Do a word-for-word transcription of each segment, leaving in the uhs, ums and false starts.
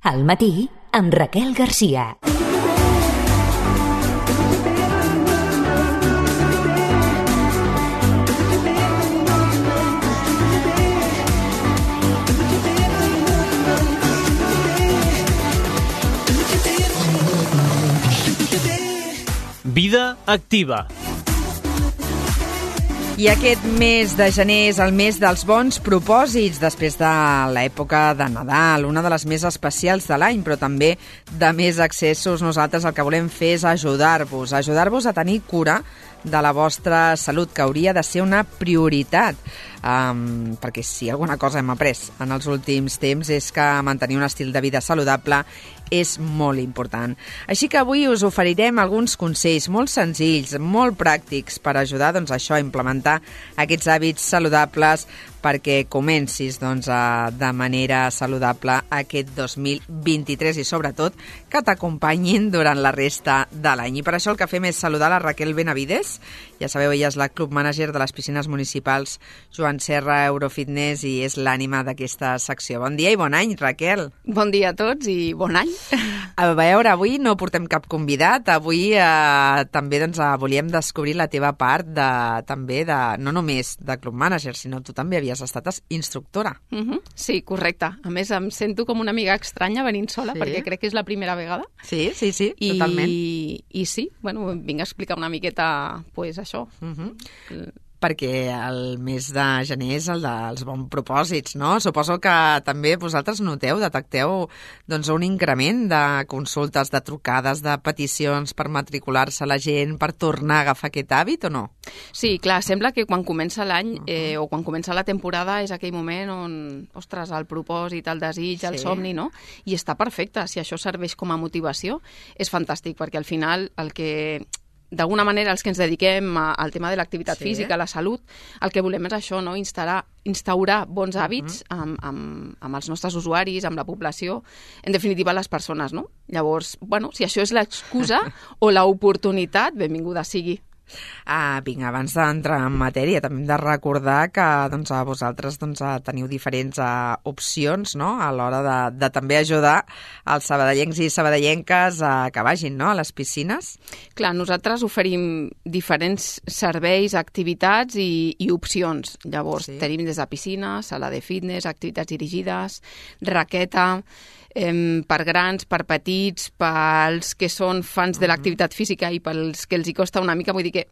Al matí, amb Raquel Garcia. Vida activa. I aquest mes de gener és el mes dels bons propòsits, després de l'època de Nadal, una de les més especials de l'any, però també de més accessos. Nosaltres el que volem fer és ajudar-vos, ajudar-vos a tenir cura de la vostra salut, que hauria de ser una prioritat. Um, perquè si alguna cosa hem après en els últims temps és que mantenir un estil de vida saludable és molt important. Així que avui us oferirem alguns consells molt senzills, molt pràctics per ajudar doncs, això a implementar aquests hàbits saludables perquè comencis doncs, a, de manera saludable aquest dos mil vint-i-tres i sobretot que t'acompanyin durant la resta de l'any. I per això el que fem és saludar la Raquel Benavides. Ja sabeu, ella és la club manager de les piscines municipals Joan Serra Eurofitness i és l'ànima d'aquesta secció. Bon dia i bon any, Raquel. Bon dia a tots i bon any. A veure, avui no portem cap convidat. Avui eh, també doncs, volíem descobrir la teva part de, també de, no només de club manager, sinó tu també havies estat instructora. Uh-huh. Sí, correcte. A més, em sento com una amiga estranya venint sola, sí? Perquè crec que és la primera vegada. Sí, sí, sí, I, totalment. I sí, bueno, vinc a explicar una miqueta pues, això. Uh-huh. Perquè el mes de gener és el dels bons propòsits, no? Suposo que també vosaltres noteu, detecteu doncs, un increment de consultes, de trucades, de peticions per matricular-se la gent, per tornar a agafar aquest hàbit o no? Sí, clar, sembla que quan comença l'any uh-huh. eh, o quan comença la temporada és aquell moment on, ostres, el propòsit, el desig, sí. el somni, no? I està perfecte, si això serveix com a motivació, és fantàstic, perquè al final el que... d'alguna manera, els que ens dediquem al tema de l'activitat sí. física, a la salut, el que volem és això, no? Instaurar, instaurar bons hàbits uh-huh. amb, amb, amb els nostres usuaris, amb la població, en definitiva les persones, no? Llavors, bueno, si això és l'excusa o l'oportunitat, benvinguda sigui. Ah, vinga, abans d'entrar en matèria, també hem de recordar que doncs, a vosaltres doncs, teniu diferents uh, opcions no? A l'hora de, de també ajudar els sabadellencs i sabadellenques a que vagin no? A les piscines. Clar, nosaltres oferim diferents serveis, activitats i, i opcions. Llavors, sí. tenim des de piscina, sala de fitness, activitats dirigides, raqueta... Eh, per grans, per petits, pels que són fans de l'activitat física i pels que els hi costa una mica. Vull dir que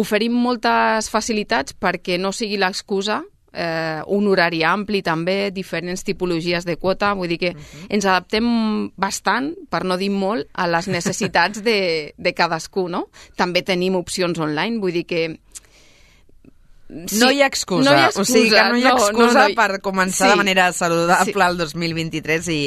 oferim moltes facilitats perquè no sigui l'excusa, eh, un horari ampli també, diferents tipologies de quota. Vull dir que uh-huh. ens adaptem bastant, per no dir molt, a les necessitats de, de cadascú, no? També tenim opcions online, vull dir que Sí, no hi ha excusa, no hi ha excusa, o sigui que no hi ha excusa no, no, no, per començar sí, de manera saludable sí. el dos mil vint-i-tres i,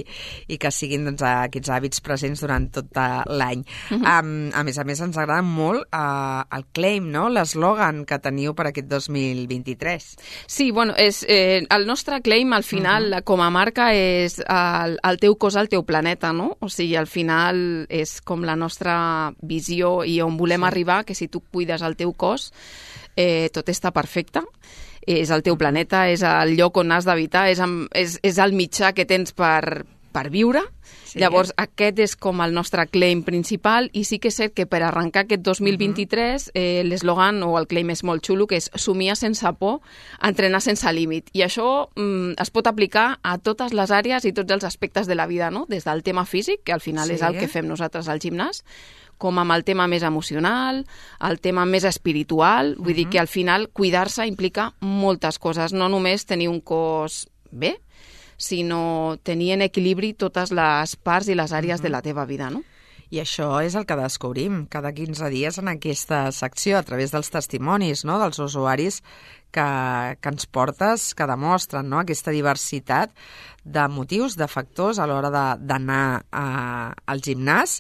i que siguin doncs, aquests hàbits presents durant tot l'any. Uh-huh. Um, a més a més, ens agrada molt uh, el claim, no? L'eslògan que teniu per aquest dos mil vint-i-tres. Sí, bueno, és, eh, el nostre claim al final uh-huh. com a marca és el, el teu cos al teu planeta, no? O sigui, al final és com la nostra visió i on volem sí. arribar, que si tu cuides el teu cos, Eh, tot està perfecte, és el teu planeta, és el lloc on has d'habitar, és, és, és el mitjà que tens per, per viure. Sí. Llavors, aquest és com el nostre claim principal i sí que és cert que per arrencar aquest dos mil vint-i-tres uh-huh. eh, l'eslògan o el claim és molt xulo, que és somiar sense por, entrenar sense límit. I això mm, es pot aplicar a totes les àrees i tots els aspectes de la vida, no? Des del tema físic, que al final sí. és el que fem nosaltres al gimnàs, com amb el tema més emocional, el tema més espiritual. Vull uh-huh. dir que al final cuidar-se implica moltes coses, no només tenir un cos bé, sinó tenir en equilibri totes les parts i les àrees uh-huh. de la teva vida, no? I això és el que descobrim cada quinze dies en aquesta secció, a través dels testimonis no? dels usuaris que, que ens portes, que demostren no? aquesta diversitat de motius, de factors a l'hora d'anar al gimnàs,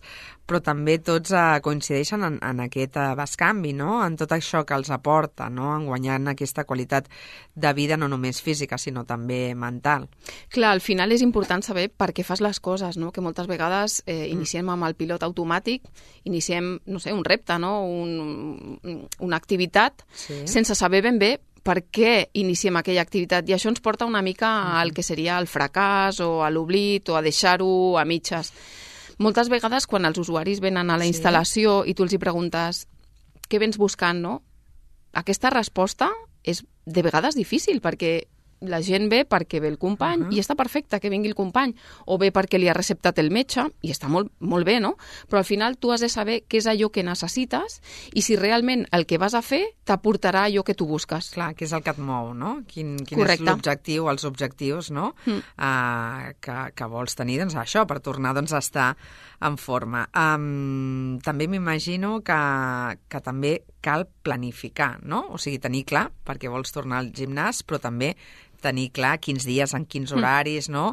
però també tots eh, coincideixen en, en aquest eh, bescanvi, no? En tot això que els aporta, no? En guanyant aquesta qualitat de vida no només física, sinó també mental. Clar, al final és important saber per què fas les coses, no? Que moltes vegades eh, iniciem mm. amb el pilot automàtic, iniciem, no sé, un repte, no? Un, una activitat, sí. sense saber ben bé per què iniciem aquella activitat, i això ens porta una mica al que seria el fracàs o a l'oblit o a deixar-ho a mitges. Moltes vegades quan els usuaris venen a la instal·lació i tu els hi preguntes què vens buscant, no? Aquesta resposta és de vegades difícil, perquè la gent ve perquè ve el company, uh-huh. i està perfecte que vingui el company, o ve perquè li ha receptat el metge, i està molt, molt bé, no? Però al final tu has de saber què és allò que necessites i si realment el que vas a fer t'aportarà allò que tu busques. Clar, que és el que et mou, no? Quin, quin Correcte. És l'objectiu, els objectius, no? Mm. Uh, que, que vols tenir, doncs això, per tornar doncs, a estar en forma. Um, també m'imagino que, que també cal planificar, no? O sigui, tenir clar perquè vols tornar al gimnàs, però també tenir clar quins dies, en quins horaris, mm. no?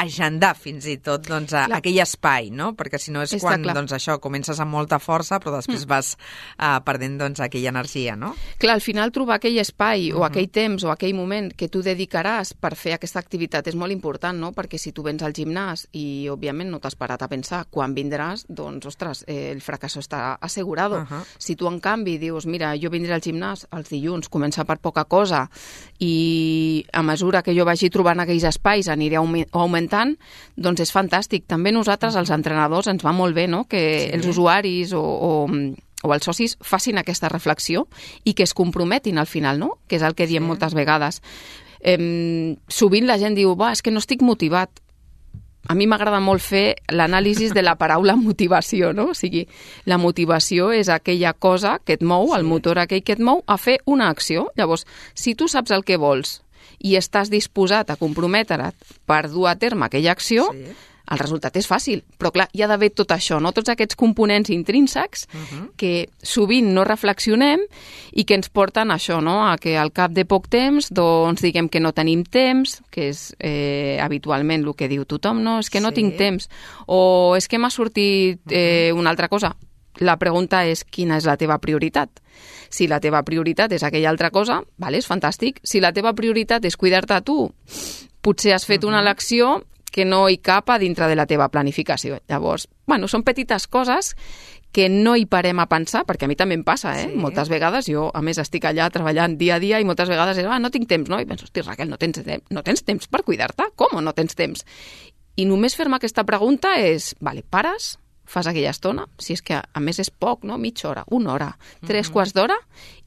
Agendar fins i tot doncs, a, aquell espai, no? Perquè si no és Està quan clar. doncs, això comences amb molta força, però després mm. vas uh, perdent doncs, aquella energia, no? Clar, al final trobar aquell espai uh-huh. o aquell temps o aquell moment que tu dedicaràs per fer aquesta activitat és molt important, no? Perquè si tu vens al gimnàs i, òbviament, no t'has parat a pensar quan vindràs, doncs, ostres, eh, el fracasso està assegurado. Uh-huh. Si tu, en canvi, dius, mira, jo vindré al gimnàs els dilluns, començar per poca cosa i a mesura que jo vagi trobant aquells espais aniré augmentant, doncs és fantàstic. També nosaltres, els entrenadors, ens va molt bé, no? Que sí. els usuaris o, o, o els socis facin aquesta reflexió i que es comprometin al final, no? Que és el que diem sí. moltes vegades. Eh, sovint la gent diu, va, és que no estic motivat. A mi m'agrada molt fer l'anàlisi de la paraula motivació, no? O sigui, la motivació és aquella cosa que et mou, sí. el motor aquell que et mou, a fer una acció. Llavors, si tu saps el que vols i estàs disposat a comprometre't per dur a terme aquella acció, sí. el resultat és fàcil. Però, clar, hi ha d'haver tot això, no? Tots aquests components intrínsecs uh-huh. que sovint no reflexionem i que ens porten a això, no? A que al cap de poc temps doncs diguem que no tenim temps, que és eh, habitualment el que diu tothom, no? És que no sí. tinc temps. O és que m'ha sortit eh, uh-huh. una altra cosa. La pregunta és quina és la teva prioritat. Si la teva prioritat és aquella altra cosa, vale, és fantàstic. Si la teva prioritat és cuidar-te a tu, potser has fet uh-huh. una elecció que no hi cap a dintre de la teva planificació. Llavors, bueno, són petites coses que no hi parem a pensar, perquè a mi també em passa, eh? Sí. Moltes vegades, jo, a més, estic allà treballant dia a dia i moltes vegades és, ah, no tinc temps, no? I penso, hosti, Raquel, no tens, no tens temps per cuidar-te? Com no tens temps? I només fer-me aquesta pregunta és, vale, pares, fas aquella estona, si és que a més és poc, no? Mitja hora, una hora, tres mm-hmm. quarts d'hora,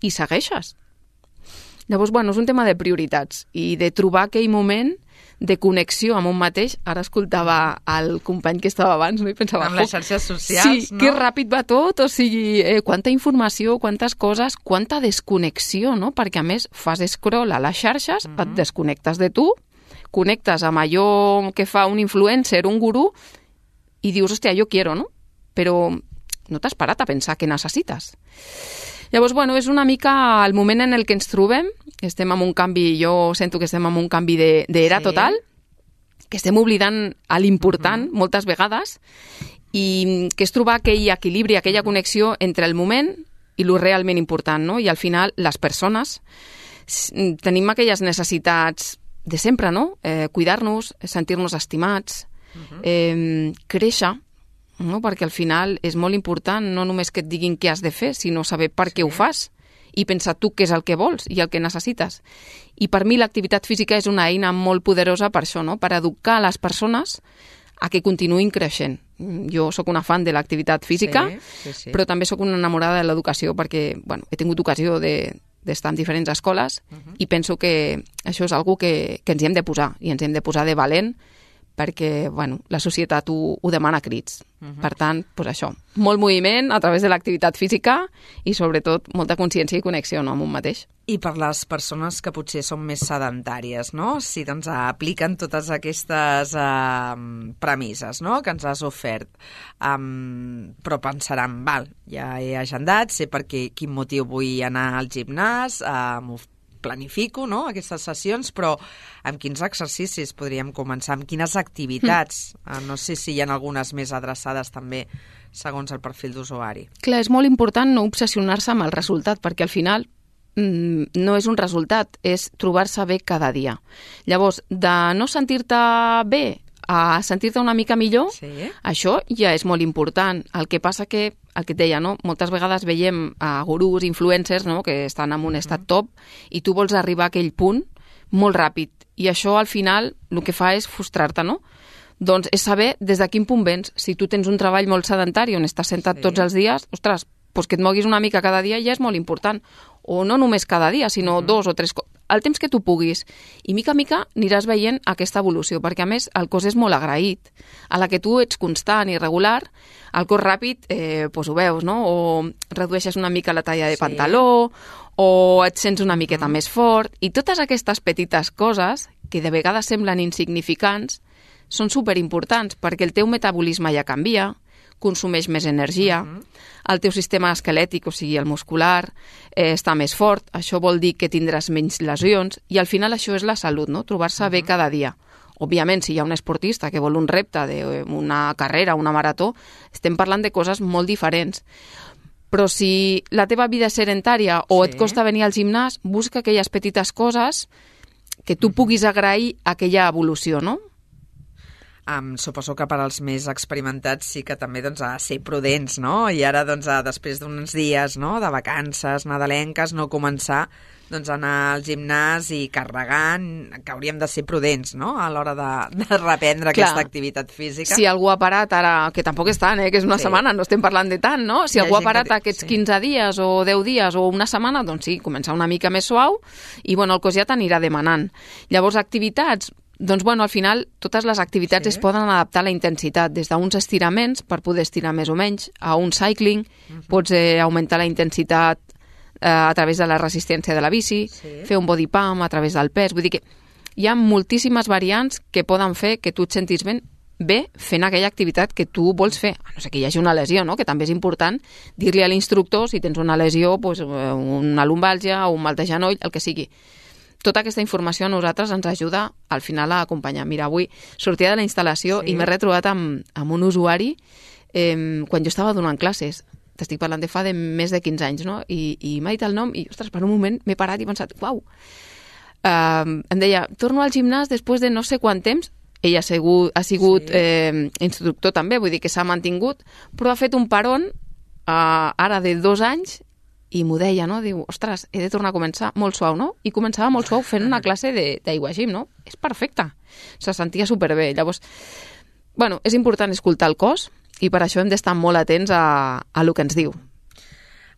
i segueixes. Llavors, bueno, és un tema de prioritats i de trobar aquell moment de connexió amb un mateix. Ara escoltava el company que estava abans, no? I pensava... Amb les xarxes socials, sí, no? que ràpid va tot, o sigui, eh, quanta informació, quantes coses, quanta desconnexió, no? Perquè, a més, fas scroll a les xarxes, mm-hmm. et desconnectes de tu, connectes amb allò que fa un influencer, un gurú, i dius, hòstia, jo quiero, no? Però no t'has parat a pensar què necessites. Llavors, bueno, és una mica el moment en el que ens trobem. Estem en un canvi, jo sento que estem en un canvi d'era de, sí. total, que estem oblidant a l'important uh-huh. moltes vegades, i que és trobar aquell equilibri, aquella connexió entre el moment i lo realment important, no? I al final, les persones tenim aquelles necessitats de sempre, no? Eh, cuidar-nos, sentir-nos estimats, uh-huh. eh, créixer, no? Perquè al final és molt important no només que et diguin què has de fer, sinó saber per sí. què ho fas i pensar tu què és el que vols i el que necessites. I per mi l'activitat física és una eina molt poderosa per això, no? Per educar les persones a que continuïn creixent. Jo sóc una fan de l'activitat física, sí, sí, sí. però també sóc una enamorada de l'educació perquè bueno, he tingut ocasió de, d'estar en diferents escoles uh-huh. i penso que això és algo que, que ens hi hem de posar i ens hem de posar de valent perquè bueno, la societat ho, ho demana a crits. Uh-huh. Per tant, doncs això, molt moviment a través de l'activitat física i sobretot molta consciència i connexió, no, amb un mateix. I per les persones que potser són més sedentàries, no? Si doncs apliquen totes aquestes uh, premisses, no?, que ens has ofert, um, però pensaran, val, ja he agendat, sé per què, quin motiu vull anar al gimnàs, uh, m'ho planifico, no?, aquestes sessions, però amb quins exercicis podríem començar, amb quines activitats? Mm. Uh, no sé si hi ha algunes més adreçades també segons el perfil d'usuari. Clar, és molt important no obsessionar-se amb el resultat, perquè al final mm, no és un resultat, és trobar-se bé cada dia. Llavors, de no sentir-te bé a sentir-te una mica millor, Sí. això ja és molt important. El que passa que, el que et deia, no? Moltes vegades veiem a gurús, influencers, no? Que estan en un estat top i tu vols arribar a aquell punt molt ràpid. I això, al final, el que fa és frustrar-te, no? Doncs és saber des de quin punt vens. Si tu tens un treball molt sedentari on estàs sentat Sí. tots els dies, ostres, doncs que et moguis una mica cada dia ja és molt important. O no només cada dia, sinó uh-huh. dos o tres... El temps que tu puguis. I mica a mica aniràs veient aquesta evolució, perquè a més el cos és molt agraït. A la que tu ets constant i regular, el cos ràpid, eh, doncs ho veus, no? O redueixes una mica la talla de Sí. pantaló, o et sents una miqueta uh-huh. més fort. I totes aquestes petites coses, que de vegades semblen insignificants, són superimportants, perquè el teu metabolisme ja canvia, consumeix més energia, uh-huh. el teu sistema esquelètic, o sigui, el muscular, eh, està més fort, això vol dir que tindràs menys lesions, i al final això és la salut, no? Trobar-se uh-huh. bé cada dia. Òbviament, si hi ha un esportista que vol un repte d'una carrera, una marató, estem parlant de coses molt diferents. Però si la teva vida és sedentària o Sí. et costa venir al gimnàs, busca aquelles petites coses que tu puguis agrair aquella evolució, no? Um, suposo que per als més experimentats sí que també doncs, a ser prudents, no? I ara, doncs, a, després d'uns dies no? de vacances nadalenques, no començar doncs, a anar al gimnàs i carregant, que hauríem de ser prudents, no?, a l'hora de, de reprendre Clar. aquesta activitat física. Si algú ha parat ara, que tampoc és tant, eh, que és una Sí. setmana, no estem parlant de tant, no? Si Hi ha algú ha gent que parat di- aquests sí. quinze dies o deu dies o una setmana, doncs sí, començar una mica més suau i, bueno, el cos ja t'anirà demanant. Llavors, activitats, doncs, bueno, al final, totes les activitats Sí. es poden adaptar a la intensitat, des d'uns estiraments, per poder estirar més o menys, a un cycling, uh-huh. pots eh, augmentar la intensitat eh, a través de la resistència de la bici, Sí. fer un body pump a través del pes, vull dir que hi ha moltíssimes variants que poden fer que tu et sentis ben bé fent aquella activitat que tu vols fer, a no ser que hi hagi una lesió, no? Que també és important dir-li a l'instructor si tens una lesió, doncs, una lumbàlgia o un mal de genoll, el que sigui. Tota aquesta informació a nosaltres ens ajuda al final a acompanyar. Mira, avui sortia de la instal·lació Sí. i m'he retrobat amb, amb un usuari eh, quan jo estava donant classes. T'estic parlant de fa de més de quinze anys, no? I, i m'ha dit el nom i, ostres, per un moment m'he parat i he pensat, uau! Uh, em deia, torno al gimnàs després de no sé quant temps. Ell ha sigut, ha sigut Sí. eh, instructor també, vull dir que s'ha mantingut, però ha fet un paron uh, ara de dos anys i m'ho deia, no? Diu, ostres, he de tornar a començar molt suau, no? I començava molt suau fent una classe d'aigua gym, no? És perfecte. Se sentia superbé. Llavors, bueno, és important escoltar el cos i per això hem d'estar molt atents a, a lo que ens diu.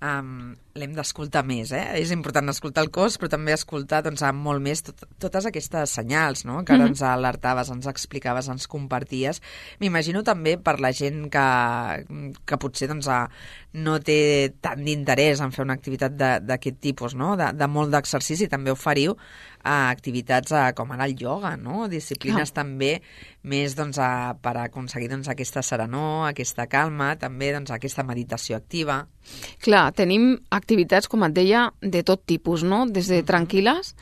Um, l'hem d'escoltar més, eh? És important escoltar el cos, però també escoltar doncs, amb molt més tot, totes aquestes senyals, no?, que ara Mhm. ens alertaves, ens explicaves, ens comparties. M'imagino també per la gent que, que potser doncs, a, no té tant d'interès en fer una activitat d'aquest tipus, no?, de, de molt d'exercici, també oferiu a activitats a, com ara el ioga, no?, disciplines Clar. també més doncs, a, per aconseguir doncs, aquesta serenor, aquesta calma, també doncs, aquesta meditació activa. Clar, tenim activitats, com et deia, de tot tipus, no? Des de tranquil·les,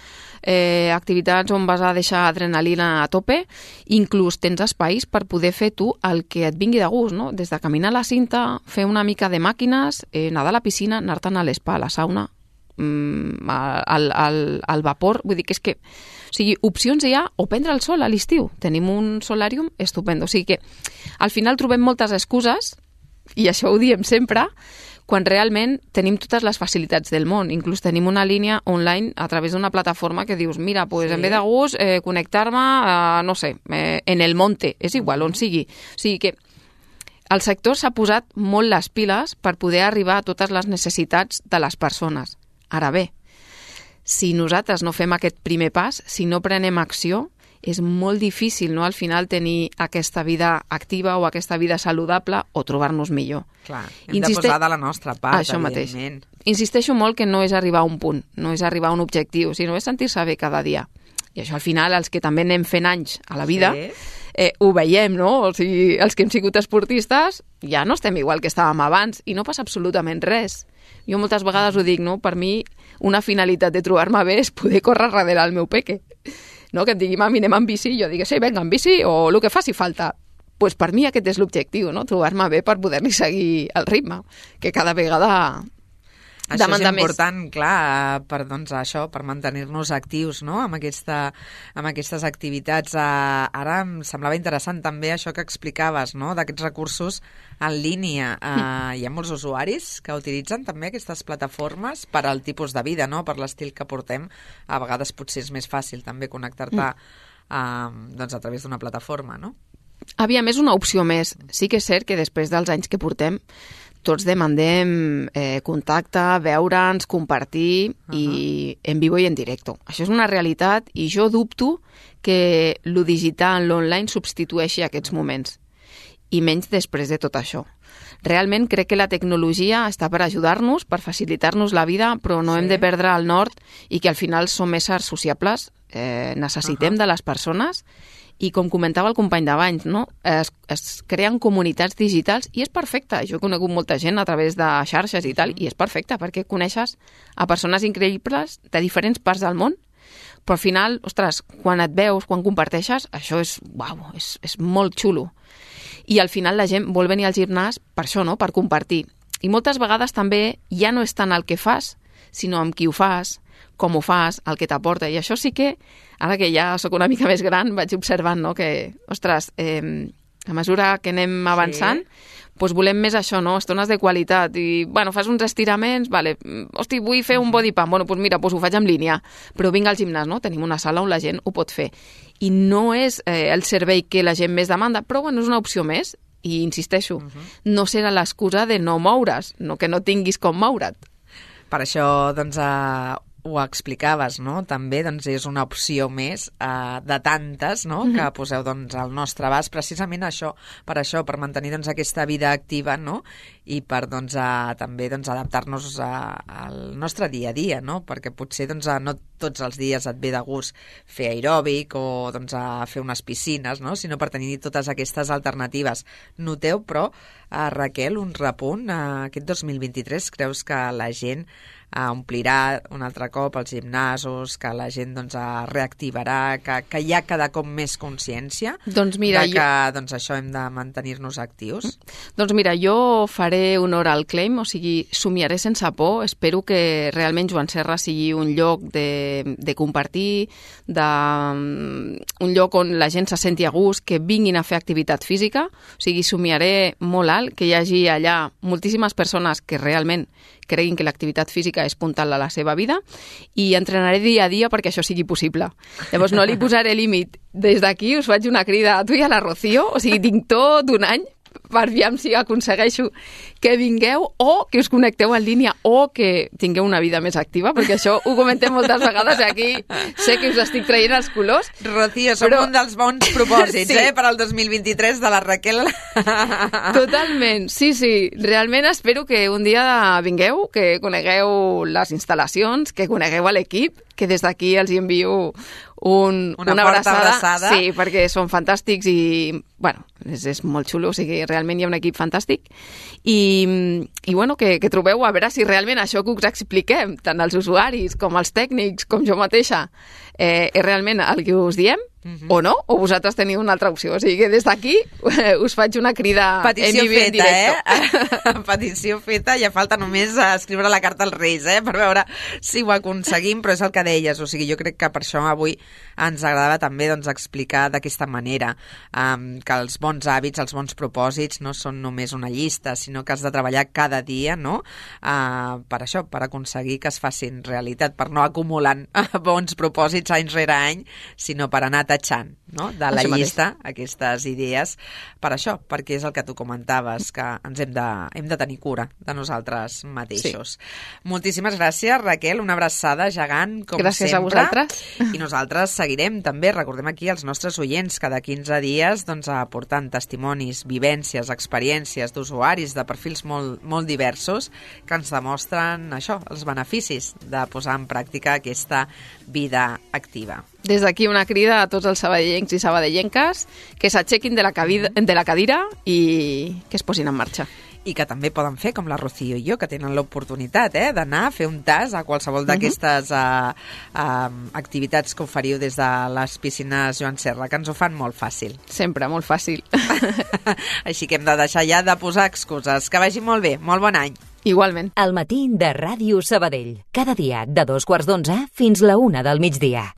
eh, activitats on vas a deixar adrenalina a tope, inclús tens espais per poder fer tu el que et vingui de gust, no? Des de caminar a la cinta, fer una mica de màquines, eh, nedar a la piscina, anar-te'n a l'espa, a la sauna, mm, al, al, al vapor, vull dir que és que o sigui, opcions hi ha, o prendre el sol a l'estiu. Tenim un solàrium estupendo. O sigui que al final trobem moltes excuses, i això ho diem sempre, quan realment tenim totes les facilitats del món. Inclús tenim una línia online a través d'una plataforma que dius, mira, pues, Sí. en ve de gust eh, connectar-me, eh, no sé, eh, en el monte, és igual, on sigui. O sigui que el sector s'ha posat molt les piles per poder arribar a totes les necessitats de les persones. Ara bé, si nosaltres no fem aquest primer pas, si no prenem acció, és molt difícil, no?, al final tenir aquesta vida activa o aquesta vida saludable o trobar-nos millor. Clar, hem Insiste- de posar de la nostra part, Això mateix. evidentment. Insisteixo molt que no és arribar a un punt, no és arribar a un objectiu, sinó és sentir-se bé cada dia. I això al final, els que també anem fent anys a la vida, Sí. eh, ho veiem, no? O sigui, els que hem sigut esportistes ja no estem igual que estàvem abans i no passa absolutament res. Jo moltes vegades ho dic, no? Per mi, una finalitat de trobar-me bé és poder córrer darrere el meu peque. No? Que em digui, mami, anem amb bici, i jo digui, sí, vinga, amb bici, o el que faci falta. Pues per mi aquest és l'objectiu, no? Trobar-me bé per poder-li seguir el ritme, que cada vegada Això és important, més. clar, per, doncs, això, per mantenir-nos actius, no?, amb, aquesta, amb aquestes activitats. Uh, ara em semblava interessant també això que explicaves, no?, d'aquests recursos en línia. Uh, hi ha molts usuaris que utilitzen també aquestes plataformes per al tipus de vida, no?, per l'estil que portem. A vegades potser és més fàcil també connectar-te uh, doncs, a través d'una plataforma, no? Aviam, és una opció més. Sí que és cert que després dels anys que portem tots demandem eh, contacte, veure'ns, compartir uh-huh. i en vivo i en directe. Això és una realitat i jo dubto que lo digital, l'online, substitueixi aquests moments. I menys després de tot això. Realment crec que la tecnologia està per ajudar-nos, per facilitar-nos la vida, però no sí. hem de perdre el nord i que al final som éssers sociables, eh, necessitem uh-huh. de les persones. I com comentava el company d'abans, no? es, es creen comunitats digitals i és perfecte. Jo he conegut molta gent a través de xarxes i tal, i és perfecte perquè coneixes a persones increïbles de diferents parts del món, però al final, ostres, quan et veus, quan comparteixes, això és, uau, és, és molt xulo. I al final la gent vol venir al gimnàs per això, no? Per compartir. I moltes vegades també ja no és tant el que fas, sinó amb qui ho fas, com ho fas, el que t'aporta. I això sí que, ara que ja sóc una mica més gran, vaig observant, no?, que, ostres, eh, a mesura que anem avançant, sí. doncs volem més això, no?, estones de qualitat. I, bueno, fas uns estiraments, vale, hosti, vull fer un body pump, bueno, doncs mira, doncs ho faig en línia. Però vinc al gimnàs, no?, tenim una sala on la gent ho pot fer. I no és eh, el servei que la gent més demanda, però, bueno, és una opció més. I insisteixo, uh-huh. no serà l'excusa de no moure's, no que no tinguis com moure't. Per això, doncs, eh, ho explicaves, no? També doncs, és una opció més eh, de tantes, no?, mm-hmm. que poseu doncs, al nostre abast, precisament això, per això, per mantenir doncs, aquesta vida activa, no?, i per doncs, a, també doncs, adaptar-nos a, al nostre dia a dia, no?, perquè potser doncs, a, no tots els dies et ve de gust fer aeròbic o doncs, a fer unes piscines, no?, sinó per tenir totes aquestes alternatives. Noteu, però, a Raquel, un repunt, a aquest dos mil vint-i-tres, creus que la gent a omplirà un altre cop els gimnasos, que la gent doncs, reactivarà, que, que hi ha cada cop més consciència doncs mira, de que jo... doncs, això hem de mantenir-nos actius? Doncs mira, jo faré honor al claim, o sigui, somiaré sense por. Espero que realment Joan Serra sigui un lloc de, de compartir, de, un lloc on la gent se senti a gust, que vinguin a fer activitat física. O sigui, somiaré molt alt, que hi hagi allà moltíssimes persones que realment creguin que l'activitat física és puntal a la seva vida i entrenaré dia a dia perquè això sigui possible. Llavors no li posaré límit. Des d'aquí us faig una crida a tu i a la Rocío, o sigui, tinc tot un any per aviam si aconsegueixo que vingueu o que us connecteu en línia o que tingueu una vida més activa, perquè això ho comentem moltes vegades i aquí sé que us estic traient els colors. Rocío, som però... un dels bons propòsits, sí. eh, per al dos mil vint-i-tres de la Raquel. Totalment, sí, sí. Realment espero que un dia vingueu, que conegueu les instal·lacions, que conegueu l'equip, que des d'aquí els envio un, una, una abraçada. abraçada. Sí, perquè són fantàstics i, bueno, és, és molt xulo, o sigui, realment hi ha un equip fantàstic. I, i bueno, que, que trobeu a veure si realment això que us expliquem, tant els usuaris com els tècnics, com jo mateixa, eh, és realment el que us diem, uh-huh. o no, o vosaltres teniu una altra opció. O sigui que des d'aquí eh, us faig una crida petició en vivo, feta, en eh? Petició feta, ja falta només escriure la carta als Reis, eh? Per veure si ho aconseguim, però és el que deies, o sigui, jo crec que per això avui ens agradava també doncs, explicar d'aquesta manera um, que els bons hàbits, els bons propòsits no són només una llista, sinó que has de treballar cada dia, no? Uh, per això, per aconseguir que es facin realitat, per no acumulant bons propòsits any rere any, sinó per anar tatxant, no?, de la això llista mateix. Aquestes idees, per això, perquè és el que tu comentaves, que ens hem de, hem de tenir cura de nosaltres mateixos. Sí. Moltíssimes gràcies, Raquel, una abraçada gegant, com gràcies sempre. A vosaltres. I nosaltres seguirem també, recordem aquí als nostres oients, cada quinze dies doncs, aportant testimonis, vivències, experiències d'usuaris de perfils molt, molt diversos que ens demostren això, els beneficis de posar en pràctica aquesta vida activa. Des d'aquí una crida a tots els sabadellencs i sabadellenques que s'aixequin de, la de la cadira i que es posin en marxa. I que també poden fer, com la Rocío i jo, que tenen l'oportunitat eh, d'anar a fer un tas a qualsevol d'aquestes uh, uh, activitats que oferiu des de les piscines Joan Serra, que ens ho fan molt fàcil. Sempre, molt fàcil. Així que hem de deixar ja de posar excuses. Que vagi molt bé, molt bon any. Igualment. Al matí de Ràdio Sabadell. Cada dia de dos quarts d'onze fins la una del migdia.